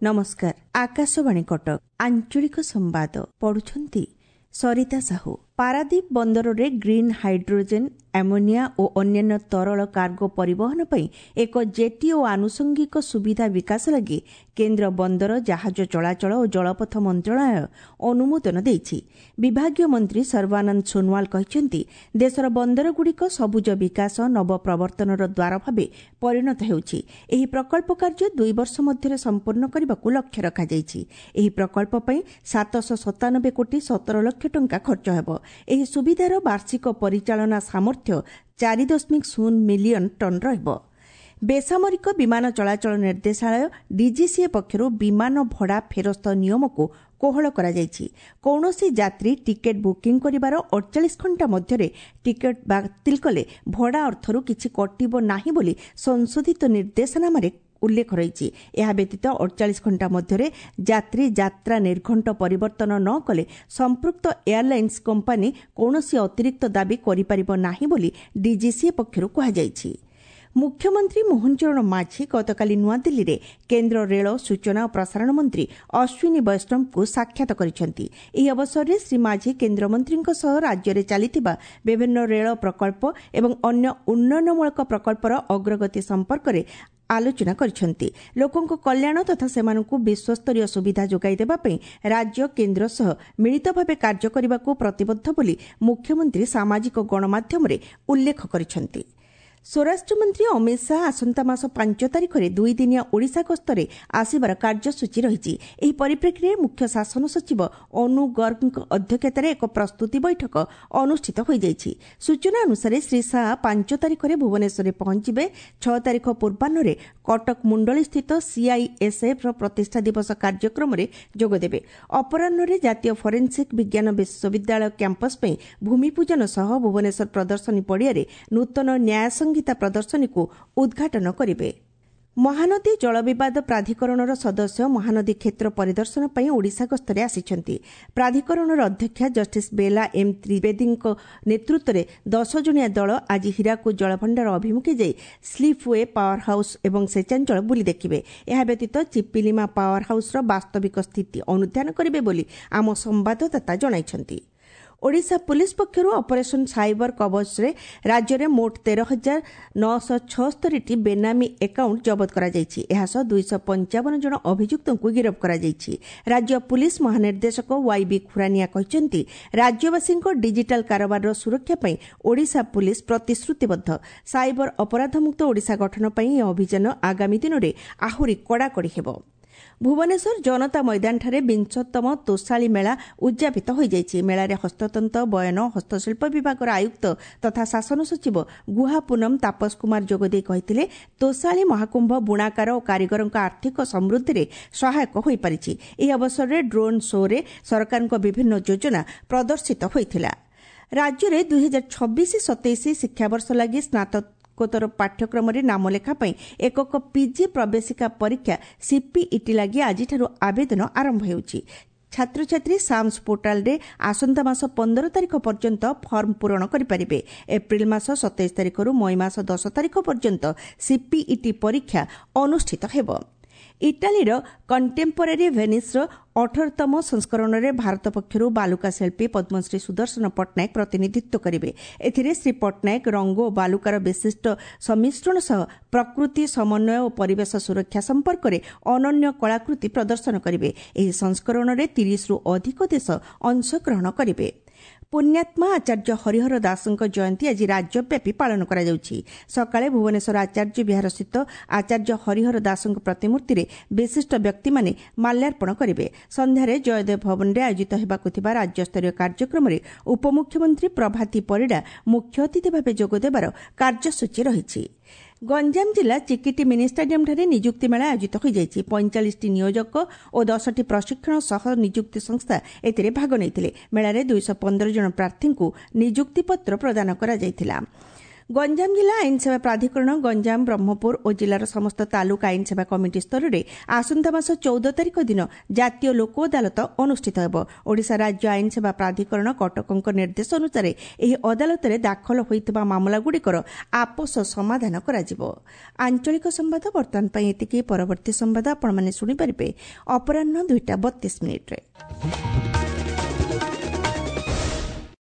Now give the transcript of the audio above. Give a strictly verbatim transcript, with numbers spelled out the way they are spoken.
ନମସ୍କାର ଆକାଶବାଣୀ କଟକ ଆଞ୍ଚଳିକ ସମ୍ବାଦ ପଢୁଛନ୍ତି ସରିତା ସାହୁ ପାରାଦୀପ ବନ୍ଦରରେ ଗ୍ରୀନ୍ ହାଇଡ୍ରୋଜେନ୍ ଆମୋନିଆ ଓ ଅନ୍ୟାନ୍ୟ ତରଳ କାର୍ଗୋ ପରିବହନ ପାଇଁ ଏକ ଜେଟି ଓ ଆନୁଷଙ୍ଗିକ ସୁବିଧା ବିକାଶ ଲାଗି କେନ୍ଦ୍ର ବନ୍ଦର ଜାହାଜ ଚଳାଚଳ ଓ ଜଳପଥ ମନ୍ତ୍ରଣାଳୟ ଅନୁମୋଦନ ଦେଇଛି ବିଭାଗୀୟ ମନ୍ତ୍ରୀ ସର୍ବାନନ୍ଦ ସୋନୋୱାଲ କହିଛନ୍ତି ଦେଶର ବନ୍ଦରଗୁଡ଼ିକ ସବୁଜ ବିକାଶ ନବପ୍ରବର୍ତ୍ତନର ଦ୍ୱାର ଭାବେ ପରିଣତ ହେଉଛି ଏହି ପ୍ରକଳ୍ପ କାର୍ଯ୍ୟ ଦୁଇ ବର୍ଷ ମଧ୍ୟରେ ସମ୍ପୂର୍ଣ୍ଣ କରିବାକୁ ଲକ୍ଷ୍ୟ ରଖାଯାଇଛି ଏହି ପ୍ରକଳ୍ପ ପାଇଁ ସାତଶହ ସତାନବେ କୋଟି ସତର ଲକ୍ଷ ଟଙ୍କା ଖର୍ଚ୍ଚ ହେବ ଏହି ସୁବିଧାର ବାର୍ଷିକ ପରିଚାଳନା ସାମର୍ଥ୍ୟ ଚାରି ଦଶମିକ ଶୂନ ମିଲିୟନ ଟନ୍ ରହିବ ବେସାମରିକ ବିମାନ ଚଳାଚଳ ନିର୍ଦ୍ଦେଶାଳୟ ଡିଜିସିଏ ପକ୍ଷରୁ ବିମାନ ଭଡ଼ା ଫେରସ୍ତ ନିୟମକୁ କୋହଳ କରାଯାଇଛି କୌଣସି ଯାତ୍ରୀ ଟିକେଟ୍ ବୁକିଂ କରିବାର ଅଡ଼ଚାଳିଶ ଘଣ୍ଟା ମଧ୍ୟରେ ଟିକେଟ୍ ବାତିଲ କଲେ ଭଡ଼ା ଅର୍ଥରୁ କିଛି କଟିବ ନାହିଁ ବୋଲି ସଂଶୋଧିତ ନିର୍ଦ୍ଦେଶନାମାରେ ଉଲ୍ଲେଖ ରହିଛି ଏହା ବ୍ୟତୀତ ଅଡ଼ଚାଳିଶ ଘଣ୍ଟା ମଧ୍ୟରେ ଯାତ୍ରୀ ଯାତ୍ରା ନିର୍ଘଣ୍ଟ ପରିବର୍ତ୍ତନ ନ କଲେ ସମ୍ପୃକ୍ତ ଏୟାରଲାଇନ୍ସ କମ୍ପାନୀ କୌଣସି ଅତିରିକ୍ତ ଦାବି କରିପାରିବ ନାହିଁ ବୋଲି ଡିଜିସିଏ ପକ୍ଷରୁ କୁହାଯାଇଛି ମୁଖ୍ୟମନ୍ତ୍ରୀ ମୋହନ ଚରଣ ମାଝୀ ଗତକାଲି ନୂଆଦିଲ୍ଲୀରେ କେନ୍ଦ୍ର ରେଳ ସୂଚନା ଓ ପ୍ରସାରଣ ମନ୍ତ୍ରୀ ଅଶ୍ୱିନୀ ବୈଷ୍ଣବଙ୍କୁ ସାକ୍ଷାତ କରିଛନ୍ତି ଏହି ଅବସରରେ ଶ୍ରୀ ମାଝୀ କେନ୍ଦ୍ରମନ୍ତ୍ରୀଙ୍କ ସହ ରାଜ୍ୟରେ ଚାଲିଥିବା ବିଭିନ୍ନ ରେଳ ପ୍ରକଳ୍ପ ଏବଂ ଅନ୍ୟ ଉନ୍ନୟନମୂଳକ ପ୍ରକଳ୍ପର ଅଗ୍ରଗତି ସମ୍ପର୍କରେ ଆଲୋଚନା କରିଛନ୍ତି ଲୋକଙ୍କ କଲ୍ୟାଣ ତଥା ସେମାନଙ୍କୁ ବିଶ୍ୱସ୍ତରୀୟ ସୁବିଧା ଯୋଗାଇ ଦେବା ପାଇଁ ରାଜ୍ୟ କେନ୍ଦ୍ର ସହ ମିଳିତ ଭାବେ କାର୍ଯ୍ୟ କରିବାକୁ ପ୍ରତିବଦ୍ଧ ବୋଲି ମୁଖ୍ୟମନ୍ତ୍ରୀ ସାମାଜିକ ଗଣମାଧ୍ୟମରେ ଉଲ୍ଲେଖ କରିଛନ୍ତି ସ୍ୱରାଷ୍ଟ୍ରମନ୍ତ୍ରୀ ଅମିତ ଶାହା ଆସନ୍ତା ମାସ ପାଞ୍ଚ ତାରିଖରେ ଦୁଇଦିନିଆ ଓଡ଼ିଶା ଗସ୍ତରେ ଆସିବାର କାର୍ଯ୍ୟସୂଚୀ ରହିଛି ଏହି ପରିପ୍ରେକ୍ଷୀରେ ମୁଖ୍ୟ ଶାସନ ସଚିବ ଅନୁ ଗର୍ଗଙ୍କ ଅଧ୍ୟକ୍ଷତାରେ ଏକ ପ୍ରସ୍ତୁତି ବୈଠକ ଅନୁଷ୍ଠିତ ହୋଇଯାଇଛି ସୂଚନା ଅନୁସାରେ ଶ୍ରୀ ଶାହା ପାଞ୍ଚ ତାରିଖରେ ଭୁବନେଶ୍ୱରରେ ପହଞ୍ଚିବେ ଛଅ ତାରିଖ ପୂର୍ବାହ୍ନରେ କଟକ ମୁଣ୍ଡଳୀସ୍ଥିତ ସିଆଇଏସ୍ଏଫ୍ର ପ୍ରତିଷ୍ଠା ଦିବସ କାର୍ଯ୍ୟକ୍ରମରେ ଯୋଗଦେବେ ଅପରାହ୍ନରେ ଜାତୀୟ ଫରେନ୍ସିକ୍ ବିଜ୍ଞାନ ବିଶ୍ୱବିଦ୍ୟାଳୟ କ୍ୟାମ୍ପସ୍ ପାଇଁ ଭୂମିପୂଜନ ସହ ଭୁବନେଶ୍ୱର ପ୍ରଦର୍ଶନୀ ପଡ଼ିଆରେ ନୂତନ ନ୍ୟାୟ ସଂହିତା ପ୍ରଦର୍ଶନୀକୁ ଉଦ୍ଘାଟନ କରିବେ ମହାନଦୀ ଜଳବିବାଦ ପ୍ରାଧିକରଣର ସଦସ୍ୟ ମହାନଦୀ କ୍ଷେତ୍ର ପରିଦର୍ଶନ ପାଇଁ ଓଡ଼ିଶା ଗସ୍ତରେ ଆସିଛନ୍ତି ପ୍ରାଧିକରଣର ଅଧ୍ୟକ୍ଷା ଜଷ୍ଟିସ୍ ବେଲା ଏମ୍ ତ୍ରିବେଦୀଙ୍କ ନେତୃତ୍ୱରେ ଦଶ ଜଣିଆ ଦଳ ଆଜି ହୀରାକୁଦ ଜଳଭଣ୍ଡାର ଅଭିମୁଖେ ଯାଇ ସ୍ଲିପ୍ we power house ଏବଂ ସେଚାଞ୍ଚଳ ବୁଲି ଦେଖିବେ ଏହା ବ୍ୟତୀତ ଚିପିଲିମା ପାୱାର ହାଉସ୍ର ବାସ୍ତବିକ ସ୍ଥିତି ଅନୁଧ୍ୟାନ କରିବେ ବୋଲି ଆମ ସମ୍ବାଦଦାତା ଜଣାଇଛନ୍ତି ଓଡ଼ିଶା ପୁଲିସ୍ ପକ୍ଷରୁ ଅପରେସନ୍ ସାଇବର କବଚରେ ରାଜ୍ୟରେ ମୋଟ ତେର ହଜାର ନଅଶହ ଛଅସ୍ତରୀଟି ବେନାମୀ ଆକାଉଣ୍ଟ ଜବତ କରାଯାଇଛି ଏହାସହ ଦୁଇଶହ ପଞ୍ଚାବନ ଜଣ ଅଭିଯୁକ୍ତଙ୍କୁ ଗିରଫ କରାଯାଇଛି ରାଜ୍ୟ ପୁଲିସ୍ ମହାନିର୍ଦ୍ଦେଶକ ୱାଇବି ଖୁରାନିଆ କହିଛନ୍ତି ରାଜ୍ୟବାସୀଙ୍କ ଡିଜିଟାଲ କାରବାରର ସୁରକ୍ଷା ପାଇଁ ଓଡ଼ିଶା ପୁଲିସ୍ ପ୍ରତିଶ୍ରୁତିବଦ୍ଧ ସାଇବର ଅପରାଧମୁକ୍ତ ଓଡ଼ିଶା ଗଠନ ପାଇଁ ଏହି ଅଭିଯାନ ଆଗାମୀ ଦିନରେ ଆହୁରି କଡ଼ାକଡ଼ି ହେବ ଭୁବନେଶ୍ୱର ଜନତା ମଇଦାନଠାରେ ବିଂଶତମ ତୋଷାଳୀ ମେଳା ଉଦ୍ଯାପିତ ହୋଇଯାଇଛି ମେଳାରେ ହସ୍ତତନ୍ତ ବୟନ ହସ୍ତଶିଳ୍ପ ବିଭାଗର ଆୟୁକ୍ତ ତଥା ଶାସନ ସଚିବ ଗୁହା ପୁନମ ତାପସ କୁମାର ଯୋଗଦେଇ କହିଥିଲେ ତୋଷାଳୀ ମହାକୁମ୍ଭ ବୁଣାକାର ଓ କାରିଗରଙ୍କ ଆର୍ଥିକ ସମୃଦ୍ଧିରେ ସହାୟକ ହୋଇପାରିଛି ଏହି ଅବସରରେ ଡ୍ରୋନ୍ ଶୋରେ ସରକାରଙ୍କ ବିଭିନ୍ନ ଯୋଜନା ପ୍ରଦର୍ଶିତ ହୋଇଥିଲା ରାଜ୍ୟରେ ଦୁଇହଜାର ଛବିଶ ସତେଇଶ ଶିକ୍ଷାବର୍ଷ ଲାଗି ସ୍ନାତକୋତ୍ତର ପାଠ୍ୟକ୍ରମରେ ନାମଲେଖା ପାଇଁ ଏକକ ପିଜି ପ୍ରବେଶିକା ପରୀକ୍ଷା ସିପିଇଟି ଲାଗି ଆଜିଠାରୁ ଆବେଦନ ଆରମ୍ଭ ହେଉଛି ଛାତ୍ରଛାତ୍ରୀ ସାମ୍ସ ପୋର୍ଟାଲରେ ଆସନ୍ତା ମାସ ପନ୍ଦର ତାରିଖ ପର୍ଯ୍ୟନ୍ତ ଫର୍ମ ପୂରଣ କରିପାରିବେ ଏପ୍ରିଲ ମାସ ସତେଇଶ ତାରିଖରୁ ମଇ ମାସ ଦଶ ତାରିଖ ପର୍ଯ୍ୟନ୍ତ ସିପିଇଟି ପରୀକ୍ଷା ଅନୁଷ୍ଠିତ ହେବ ଇଟାଲୀର କଣ୍ଟେମ୍ପୋରାରୀ ଭେନିସ୍ର ଅଠରତମ ସଂସ୍କରଣରେ ଭାରତ ପକ୍ଷରୁ ବାଲୁକା ଶିଳ୍ପୀ ପଦ୍ମଶ୍ରୀ ସୁଦର୍ଶନ ପଟ୍ଟନାୟକ ପ୍ରତିନିଧିତ୍ୱ କରିବେ ଏଥିରେ ଶ୍ରୀ ପଟ୍ଟନାୟକ ରଙ୍ଗ ଓ ବାଲୁକାର ବିଶିଷ୍ଟ ସମ୍ମିଶ୍ରଣ ସହ ପ୍ରକୃତି ସମନ୍ୱୟ ଓ ପରିବେଶ ସୁରକ୍ଷା ସମ୍ପର୍କରେ ଅନନ୍ୟ କଳାକୃତି ପ୍ରଦର୍ଶନ କରିବେ ଏହି ସଂସ୍କରଣରେ ତିରିଶରୁ ଅଧିକ ଦେଶ ଅଂଶଗ୍ରହଣ କରିବେ ପୁଣ୍ୟାତ୍ମା ଆଚାର୍ଯ୍ୟ ହରିହର ଦାସଙ୍କ ଜୟନ୍ତୀ ଆଜି ରାଜ୍ୟବ୍ୟାପୀ ପାଳନ କରାଯାଉଛି ସକାଳେ ଭୁବନେଶ୍ୱର ଆଚାର୍ଯ୍ୟ ବିହାରସ୍ଥିତ ଆଚାର୍ଯ୍ୟ ହରିହର ଦାସଙ୍କ ପ୍ରତିମୂର୍ତ୍ତିରେ ବିଶିଷ୍ଟ ବ୍ୟକ୍ତିମାନେ ମାଲ୍ୟାର୍ପଣ କରିବେ ସନ୍ଧ୍ୟାରେ ଜୟଦେବ ଭବନରେ ଆୟୋଜିତ ହେବାକୁ ଥିବା ରାଜ୍ୟସ୍ତରୀୟ କାର୍ଯ୍ୟକ୍ରମରେ ଉପମୁଖ୍ୟମନ୍ତ୍ରୀ ପ୍ରଭାତୀ ପରିଡ଼ା ମୁଖ୍ୟ ଅତିଥି ଭାବେ ଯୋଗଦେବାର କାର୍ଯ୍ୟସୂଚୀ ରହିଛି ଗଞ୍ଜାମ ଜିଲ୍ଲା ଚିକିଟି ମିନି ଷ୍ଟାଡିୟମ୍ଠାରେ ନିଯୁକ୍ତି ମେଳା ଆୟୋଜିତ ହୋଇଯାଇଛି ପଇଁଚାଳିଶଟି ନିୟୋଜକ ଓ ଦଶଟି ପ୍ରଶିକ୍ଷଣ ସହ ନିଯୁକ୍ତି ସଂସ୍ଥା ଏଥିରେ ଭାଗ ନେଇଥିଲେ ମେଳାରେ ଦୁଇଶହ ପନ୍ଦର ଜଣ ପ୍ରାର୍ଥୀଙ୍କୁ ନିଯୁକ୍ତିପତ୍ର ପ୍ରଦାନ କରାଯାଇଥିଲା ଗଞ୍ଜାମ ଜିଲ୍ଲା ଆଇନସେବା ପ୍ରାଧିକରଣ ଗଞ୍ଜାମ, ବ୍ରହ୍ମପୁର ଓ ଜିଲ୍ଲାର ସମସ୍ତ ତାଲୁକ ଆଇନସେବା କମିଟି ସ୍ତରରେ ଆସନ୍ତା ମାସ ଚଉଦ ତାରିଖ ଦିନ ଜାତୀୟ ଲୋକ ଅଦାଲତ ଅନୁଷ୍ଠିତ ହେବ। ଓଡ଼ିଶା ରାଜ୍ୟ ଆଇନସେବା ପ୍ରାଧିକରଣ କଟକଙ୍କ ନିର୍ଦ୍ଦେଶ ଅନୁସାରେ ଏହି ଅଦାଲତରେ ଦାଖଲ ହୋଇଥିବା ମାମଲାଗୁଡ଼ିକର ଆପୋଷ ସମାଧାନ କରାଯିବ। ଆଞ୍ଚଳିକ ସମ୍ବାଦ ବର୍ତ୍ତମାନ ପାଇଁ ଏତିକି। ପରବର୍ତ୍ତୀ ସମ୍ବାଦ ଆପଣମାନେ ଶୁଣିପାରିବେ ଅପରାହ୍ନ ଦୁଇଟା ବତିଶ ମିନିଟ୍ରେ।